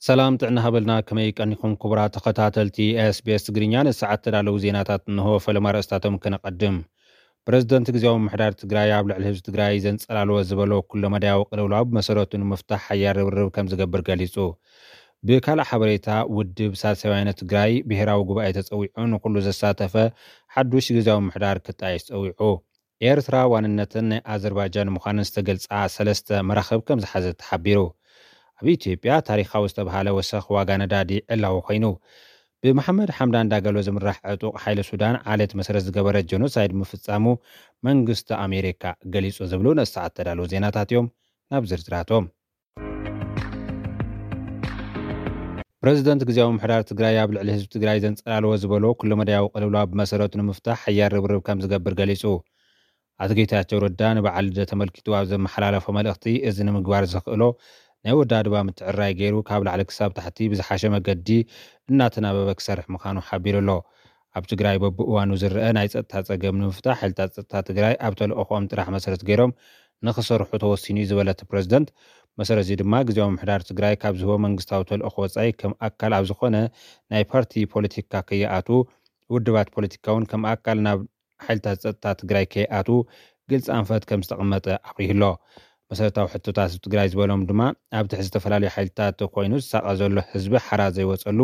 ሰላም ጥዕና ሃበልና፣ ከመይ ቀኒኹም ክቡራት ተኸታተልቲ ኤስቢኤስ ትግርኛ? ንሰዓት ተዳለዉ ዜናታት እንሆ። ፈለማ ኣርእስታቶም ከነቐድም። ፕረዚደንት ግዜያዊ ምምሕዳር ትግራይ ኣብ ልዕሊ ህዝቢ ትግራይ ዘንጸላልዎ ዝበሎ ኩለመዳያዊ ቅልውላው ብመሰረቱ ንምፍታሕ ሓያል ርብርብ ከም ዝገብር ገሊጹ። ብካልእ ሓበሬታ፣ ውድብ ሳልሳይ ወያነ ትግራይ ብሄራዊ ጉባኤ ተጸዊዑ ንኹሉ ዘሳተፈ ሓዱሽ ግዜያዊ ምምሕዳር ክጣየሽ ጸዊዑ። ኤርትራ ዋንነትን ናይ ኣዘርባጃን ምዃንን ዝተገልጻ ሰለስተ መራኽብ ከም ዝሓዘት ተሓቢሩ። ኣብ ኢትዮጵያ ታሪኻዊ ዝተብሃለ ወሰኽ ዋጋ ነዳዲ ዕላዊ ኮይኑ። ብመሓመድ ሓምዳን ዳጋሎ ዝምራሕ ዕጡቕ ሓይሊ ሱዳን ዓሌት መሰረት ዝገበረ ጀኖሳይድ ምፍጻሙ መንግስቲ ኣሜሪካ ገሊጹ ዝብሉ ነሰዓት ተዳለዉ ዜናታት እዮም። ናብ ዝርዝራቶም። ፕረዚደንት ግዜያዊ ምምሕዳር ትግራይ ኣብ ልዕሊ ህዝቢ ትግራይ ዘንጸላልዎ ዝበሎ ኩለመዳያዊ ቅልውላው ብመሰረቱ ንምፍታሕ ሓያል ርብርብ ከም ዝገብር ገሊጹ። ኣቶ ጌታቸው ረዳ ንበዓል ልደት ተመልኪቱ ኣብ ዘመሓላለፎ መልእኽቲ፣ እዚ ንምግባር ዘኽእሎ ናይ ወዳድባ ምትዕርራይ ገይሩ ካብ ላዕሊ ክሳብ ታሕቲ ብዝሓሸ መገዲ እናተናበበ ክሰርሕ ምዃኑ ሓቢሩ ኣሎ። ኣብ ትግራይ በብእዋኑ ዝረአ ናይ ጸጥታ ጸገም ንምፍታሕ ሓይልታት ጸጥታ ትግራይ ኣብ ተልእኾኦም ጥራሕ መሰረት ገይሮም ንኽሰርሑ ተወሲኑ እዩ ዝበለ እቲ ፕረዚደንት፣ መሰረት እዚ ድማ ግዜያዊ ምምሕዳር ትግራይ ካብ ዝህቦ መንግስታዊ ተልእኾ ወጻኢ ከም ኣካል ኣብ ዝኾነ ናይ ፓርቲ ፖለቲካ ከይኣትዉ፣ ውድባት ፖለቲካ እውን ከም ኣካል ናብ ሓይልታት ጸጥታ ትግራይ ከይኣትዉ ግልፂ ኣንፈት ከም ዝተቐመጠ ኣብሪሁ ኣሎ። መሰረታዊ ሕቶታት ህዝቢ ትግራይ ዝበሎም ድማ ኣብ ትሕቲ ዝተፈላለዩ ሓይልታት ኮይኑ ዝሳቐ ዘሎ ህዝቢ ሓራ ዘይወፀሉ፣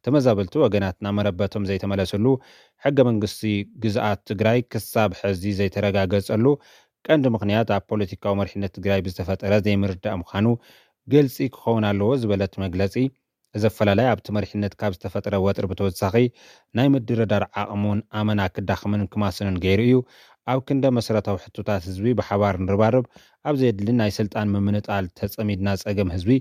ተመዛበልቲ ወገናትና መረበቶም ዘይተመለሰሉ፣ ሕገ መንግስቲ ግዝኣት ትግራይ ክሳብ ሕዚ ዘይተረጋገፀሉ ቀንዲ ምኽንያት ኣብ ፖለቲካዊ መሪሕነት ትግራይ ብዝተፈጠረ ዘይምርዳእ ምዃኑ ግልፂ ክኸውን ኣለዎ ዝበለት መግለፂ፣ እዚ ኣፈላላይ ኣብቲ መሪሕነት ካብ ዝተፈጠረ ወጥሪ ብተወሳኺ ናይ ምድርዳር ዓቕሙን ኣመና ክዳኽምን ክማስንን ገይሩ እዩ። ኣብ ክንደ መሰረታዊ ሕቶታት ህዝቢ ብሓባር ንርባርብ፣ ኣብ ዘየድሊ ናይ ስልጣን ምምንጣል ተጸሚድና ጸገም ህዝቢ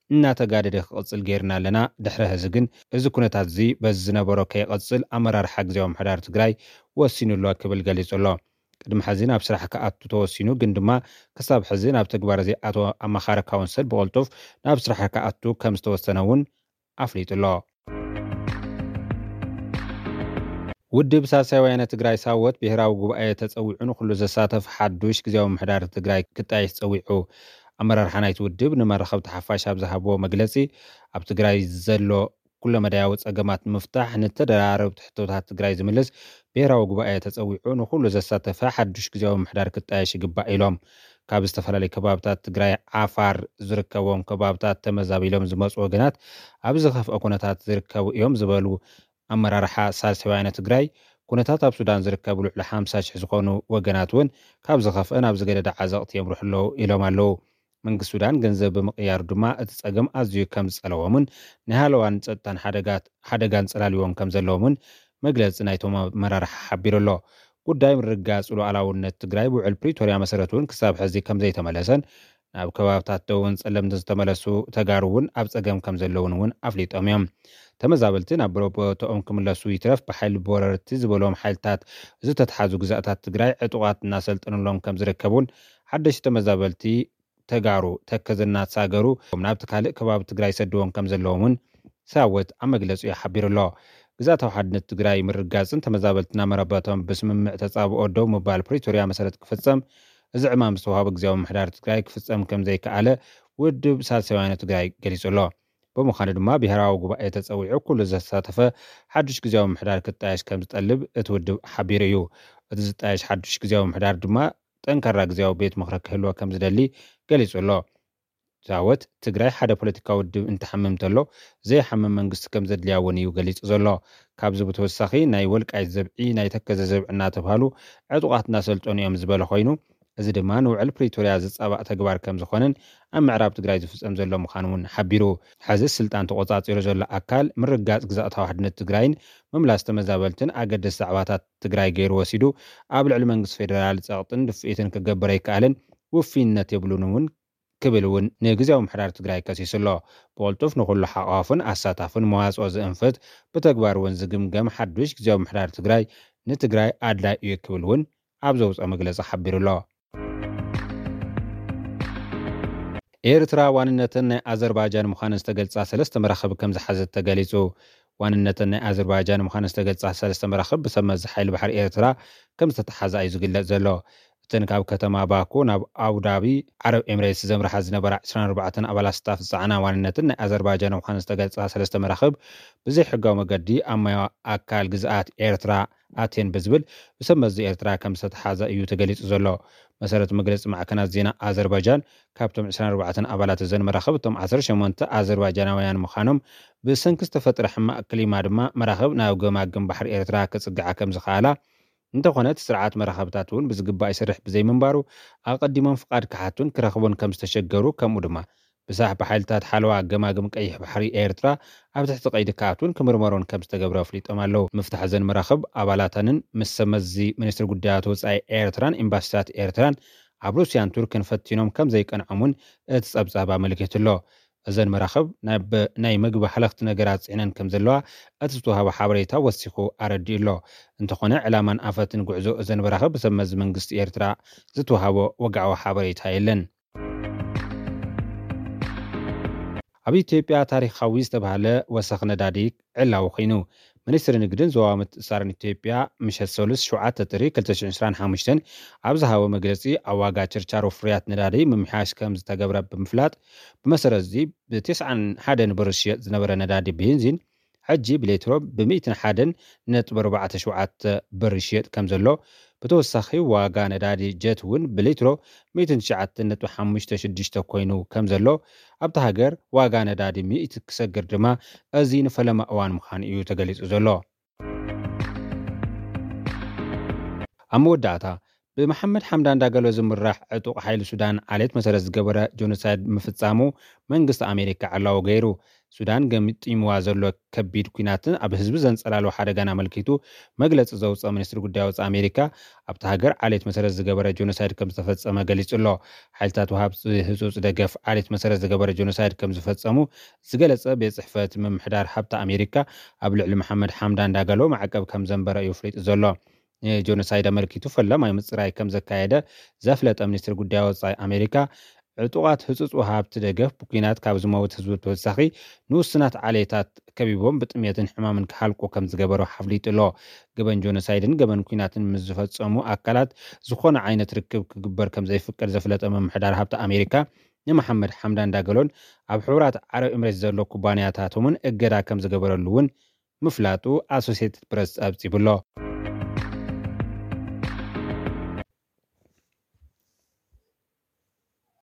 እናተጋደደ ክቕጽል ገይርና ኣለና። ድሕሪ ሕዚ ግን እዚ ኩነታት እዚ በዚ ዝነበሮ ከይቐጽል ኣመራርሓ ግዜያዊ ምምሕዳር ትግራይ ወሲኑ ኣሎ ክብል ገሊጹ ኣሎ። ቅድሚ ሕዚ ናብ ስራሕ ክኣቱ ተወሲኑ፣ ግን ድማ ክሳብ ሕዚ ናብ ተግባር ዘይኣተወ ኣማኻሪ ካውንስል ብቕልጡፍ ናብ ስራሕ ክኣቱ ከም ዝተወሰነ እውን ኣፍሊጡ ኣሎ። ውድብ ሳልሳይ ወያነ ትግራይ ሳወት ብሄራዊ ጉባኤ ተጸዊዑ ንኹሉ ዘሳተፍ ሓዱሽ ግዜያዊ ምምሕዳር ትግራይ ክጣየሽ ጸዊዑ። ኣመራርሓ ናይቲ ውድብ ንመራኸብቲ ሓፋሽ ኣብ ዝሃብዎ መግለጺ፣ ኣብ ትግራይ ዘሎ ኩለመዳያዊ ጸገማት ንምፍታሕ ንተደራረብቲ ሕቶታት ትግራይ ዝምልስ ብሄራዊ ጉባኤ ተጸዊዑ ንኹሉ ዘሳተፈ ሓዱሽ ግዜያዊ ምምሕዳር ክጣየሽ ይግባእ ኢሎም። ካብ ዝተፈላለዩ ከባብታት ትግራይ ዓፋር ዝርከቦም ከባብታት ተመዛቢሎም ዝመፁ ወገናት ኣብ ዝኸፍአ ኩነታት ዝርከቡ እዮም ዝበሉ ኣመራርሓ ሳልሳይ ወያነ ትግራይ፣ ኩነታት ኣብ ሱዳን ዝርከቡ ልዕሊ ሓምሳ ሽሕ ዝኾኑ ወገናት እውን ካብ ዝኸፍአ ናብ ዝገደደ ዓዘቕቲ የምርሑ ኣለዉ ኢሎም ኣለዉ። መንግስቲ ሱዳን ገንዘብ ብምቕያሩ ድማ እቲ ጸገም ኣዝዩ ከም ዝጸለዎምን ናይ ሃለዋን ጸጥታን ሓደጋት-፣ ሓደጋን ጸላልዎም ከም ዘለዎምን መግለጺ ናይቶም ኣመራርሓ ሓቢሩ ኣሎ። ጉዳይ ምርግጋጽ ሉዓላውነት ትግራይ ብውዕል ፕሪቶርያ መሰረት እውን ክሳብ ሕዚ ከም ዘይተመለሰን ናብ ከባብታት ደቡብን ጸለምትን ዝተመለሱ ተጋሩ እውን ኣብ ጸገም ከም ዘለውን እውን ኣፍሊጦም እዮም። ተመዛበልቲ ናብ ቦታኦም ክምለሱ ይትረፍ ብሓይሊ ብወረርቲ ዝበሎም ሓይልታት ዝተትሓዙ ግዛእታት ትግራይ ዕጡቓት እናሰልጠኑሎም ከም ዝርከቡን ሓደሽቲ ተመዛበልቲ ተጋሩ ተከዘ እናተሳገሩ ናብቲ ካልእ ከባቢ ትግራይ ይሰድዎም ከም ዘለዎም እውን ሳወት ኣብ መግለጺኡ ሓቢሩ ኣሎ። ግዝኣታዊ ሓድነት ትግራይ ምርጋጽን ተመዛበልትና መረበቶም ብስምምዕ ተጻብኦ ደው ምባል ፕሪቶርያ መሰረት ክፍጸም፣ እዚ ዕማም ዝተዋህቦ ግዝያዊ ምምሕዳር ትግራይ ክፍጸም ከም ዘይከኣለ ውድብ ሳልሳይ ወያነ ትግራይ ገሊጹ ኣሎ። ብምዃኑ ድማ ብሄራዊ ጉባኤ ተጸዊዑ ኩሉ ዘሳተፈ ሓዱሽ ግዝያዊ ምምሕዳር ክጣየሽ ከም ዝጠልብ እቲ ውድብ ሓቢሩ እዩ። እቲ ዝጣየሽ ሓዱሽ ግዝያዊ ምምሕዳር ድማ ጠንካራ ግዝያዊ ቤት ምኽሪ ክህልዎ ከም ዝደሊ ገሊጹ ኣሎ። ሳወት፣ ትግራይ ሓደ ፖለቲካዊ ውድብ እንትሓምም እንተሎ፣ ዘይሓምም መንግስቲ ከም ዘድልያ እውን እዩ ገሊጹ ዘሎ። ካብዚ ብተወሳኺ፣ ናይ ወልቃይት ዘብዒ፣ ናይ ተከዘ ዘብዒ እናተብሃሉ ዕጡቓት እናሰልጠኑ እዮም ዝበለ ኮይኑ፣ እዚ ድማ ንውዕል ፕሪቶርያ ዝጻባእ ተግባር ከም ዝኾነን ኣብ ምዕራብ ትግራይ ዝፍጸም ዘሎ ምዃኑ እውን ሓቢሩ። ሕዚ ስልጣን ተቖጻጺሩ ዘሎ ኣካል ምርጋጽ ግዝኣታዊ ሓድነት ትግራይን ምምላስ ተመዛበልትን ኣገደስቲ ዛዕባታት ትግራይ ገይሩ ወሲዱ፣ ኣብ ልዕሊ መንግስቲ ፌደራል ጸቕጥን ድፍኢትን ክገብር ኣይከኣልን፣ ውፍይነት የብሉን እውን ክብል እውን ንግዝያዊ ምምሕዳር ትግራይ ከሲሱ ኣሎ። ብቕልጡፍ ንኹሉ ሓቋፍን ኣሳታፍን መዋፅኦ ዝእንፍት፣ ብተግባር እውን ዝግምገም ሓዱሽ ግዝያዊ ምምሕዳር ትግራይ ንትግራይ ኣድላይ እዩ ክብል እውን ኣብ ዘውፅኦ መግለፂ ሓቢሩ ኣሎ። ኤርትራ ዋንነተን ናይ ኣዘርባጃን ምዃነን ዝተገልጻ ሰለስተ መራኽብ ከም ዝሓዘት ተገሊጹ። ዋንነተን ናይ ኣዘርባጃን ምዃነን ዝተገልጻ ሰለስተ መራኽብ ብሰብ መዚ ሓይሊ ባሕሪ ኤርትራ ከም ዝተተሓዛ እዩ ዝግለጽ ዘሎ። እተን ካብ ከተማ ባኩ ናብ ኣቡዳቢ ዓረብ ኤምሬትስ ዘምርሓ ዝነበራ ዕስራን ኣርባዕተን ኣባላት ስታፍ ዝጸዓና ዋንነትን ናይ ኣዘርባጃን ምዃኑ ዝተገልጻ ሰለስተ መራኽብ ብዘይሕጋዊ መገዲ ኣብ ማያዊ ኣካል ግዝኣት ኤርትራ ኣትየን ብዝብል ብሰብ መዚ ኤርትራ ከም ዝተተሓዘ እዩ ተገሊጹ ዘሎ። መሰረት መግለጺ ማዕከናት ዜና ኣዘርባጃን፣ ካብቶም ዕስራን ኣርባዕተን ኣባላት እዘን መራኽብ እቶም ዓሰርተ ሸሞንተ ኣዘርባጃናውያን ምዃኖም፣ ብሰንኪ ዝተፈጥረ ሕማቕ ክሊማ ድማ መራኽብ ናብ ገማግም ባሕሪ ኤርትራ ክጽግዓ ከም ዝኸኣላ፣ እንተኾነ እቲ ስርዓት መራኸብታት እውን ብዝግባእ ይሰርሕ ብዘይምንባሩ፣ ኣቐዲሞም ፍቓድ ክሓቱን ክረኽቡን ከም ዝተሸገሩ፣ ከምኡ ድማ ብሳሕቢ ሓይልታት ሓለዋ ገማግም ቀይሕ ባሕሪ ኤርትራ ኣብ ትሕቲ ቀይዲ ክኣትውን ክምርመሩን ከም ዝተገብረ ኣፍሊጦም ኣለዉ። ምፍታሕ እዘን መራኽብ ኣባላተንን ምስ ሰብ መዚ ሚኒስትሪ ጉዳያት ወጻኢ ኤርትራን ኤምባሲታት ኤርትራን ኣብ ሩስያን ቱርክን ፈቲኖም ከም ዘይቀንዖም እውን እቲ ጸብጻብ ኣመልኪቱ ኣሎ። እዘን መራኽብ ናብ ናይ መግቢ ሃለኽቲ ነገራት ጽዒነን ከም ዘለዋ እቲ ዝተዋህበ ሓበሬታ ወሲኹ ኣረዲኡ ኣሎ። እንተኾነ፣ ዕላማን ኣፈትን ጉዕዞ እዘን መራኽብ ብሰብ መዚ መንግስቲ ኤርትራ ዝተዋህቦ ወግዓዊ ሓበሬታ የለን። ኣብ ኢትዮጵያ ታሪኻዊ ዝተባህለ ወሰኽ ነዳዲ ዕላዊ ኮይኑ፣ ሚኒስትሪ ንግድን ዞባዊ ምትእስሳርን ኢትዮጵያ ምሸት ሰሉስ ሸውዓተ ጥሪ ክልተ ሽሕን ዕስራን ሓሙሽተን ኣብ ዝሃቦ መግለጺ፣ ኣብ ዋጋ ችርቻሮ ፍርያት ነዳዲ ምምሕያሽ ከም ዝተገብረ ብምፍላጥ፣ ብመሰረት እዚ ብተስዓን ሓደን ብር ዝሽየጥ ዝነበረ ነዳዲ ቤንዚን ሕጂ ብሌትሮ ብ ሚእትን ሓደን ነጥቢ ኣርባዕተ ሸውዓተ ብር ይሽየጥ ከም ዘሎ፣ ብተወሳኺ ዋጋ ነዳዲ ጀት እውን ብሊትሮ ሚእትን ትሽዓተን ነጥቢ ሓሙሽተ ሽዱሽተ ኮይኑ ከም ዘሎ፣ ኣብታ ሃገር ዋጋ ነዳዲ ሚእቲ ክሰግር ድማ እዚ ንፈለማ እዋን ምዃኑ እዩ ተገሊጹ ዘሎ። ኣብ መወዳእታ፣ ብመሓመድ ሓምዳን ዳገሎ ዝምራሕ ዕጡቕ ሓይሊ ሱዳን ዓሌት መሰረት ዝገበረ ጆኖሳይድ ምፍጻሙ መንግስቲ ኣሜሪካ ዕላዊ ገይሩ። ሱዳን ገምጢምዋ ዘሎ ከቢድ ኲናትን ኣብ ህዝቢ ዘንጸላልዎ ሓደጋን ኣመልኪቱ መግለጺ ዘውጸ ሚኒስትሪ ጉዳይ ወጻኢ ኣሜሪካ፣ ኣብታ ሃገር ዓሌት መሰረት ዝገበረ ጆኖሳይድ ከም ዝተፈጸመ ገሊጹ ኣሎ። ሓይልታት ወሃብቲ ህጹጽ ደገፍ ዓሌት መሰረት ዝገበረ ጆኖሳይድ ከም ዝፈጸሙ ዝገለጸ ቤት ጽሕፈት ምምሕዳር ሃብቲ ኣሜሪካ፣ ኣብ ልዕሊ መሓመድ ሓምዳን ዳገሎ ማዕቀብ ከም ዘንበረ እዩ ኣፍሊጡ ዘሎ። ንጆኖሳይድ ኣመልኪቱ ፈላማይ ምጽራይ ከም ዘካየደ ዘፍለጠ ሚኒስትሪ ጉዳይ ወጻኢ ኣሜሪካ፣ ዕጡቓት ህጹጽ ወሃብቲ ደገፍ ብኲናት ካብ ዝመውት ህዝቢ ብተወሳኺ ንውሱናት ዓሌታት ከቢቦም ብጥሜትን ሕማምን ክሃልቁ ከም ዝገበሩ ኣፍሊጡ ኣሎ። ገበን ጆኖሳይድን ገበን ኲናትን ምስ ዝፈጸሙ ኣካላት ዝኾነ ዓይነት ርክብ ክግበር ከም ዘይፍቀድ ዘፍለጠ ምምሕዳር ሃብቲ ኣሜሪካ፣ ንመሓመድ ሓምዳን ዳገሎን ኣብ ሕቡራት ዓረብ ኤምሬት ዘሎ ኩባንያታቶምን እገዳ ከም ዝገበረሉ እውን ምፍላጡ ኣሶሲየትድ ፕረስ ጸብጺቡ ኣሎ።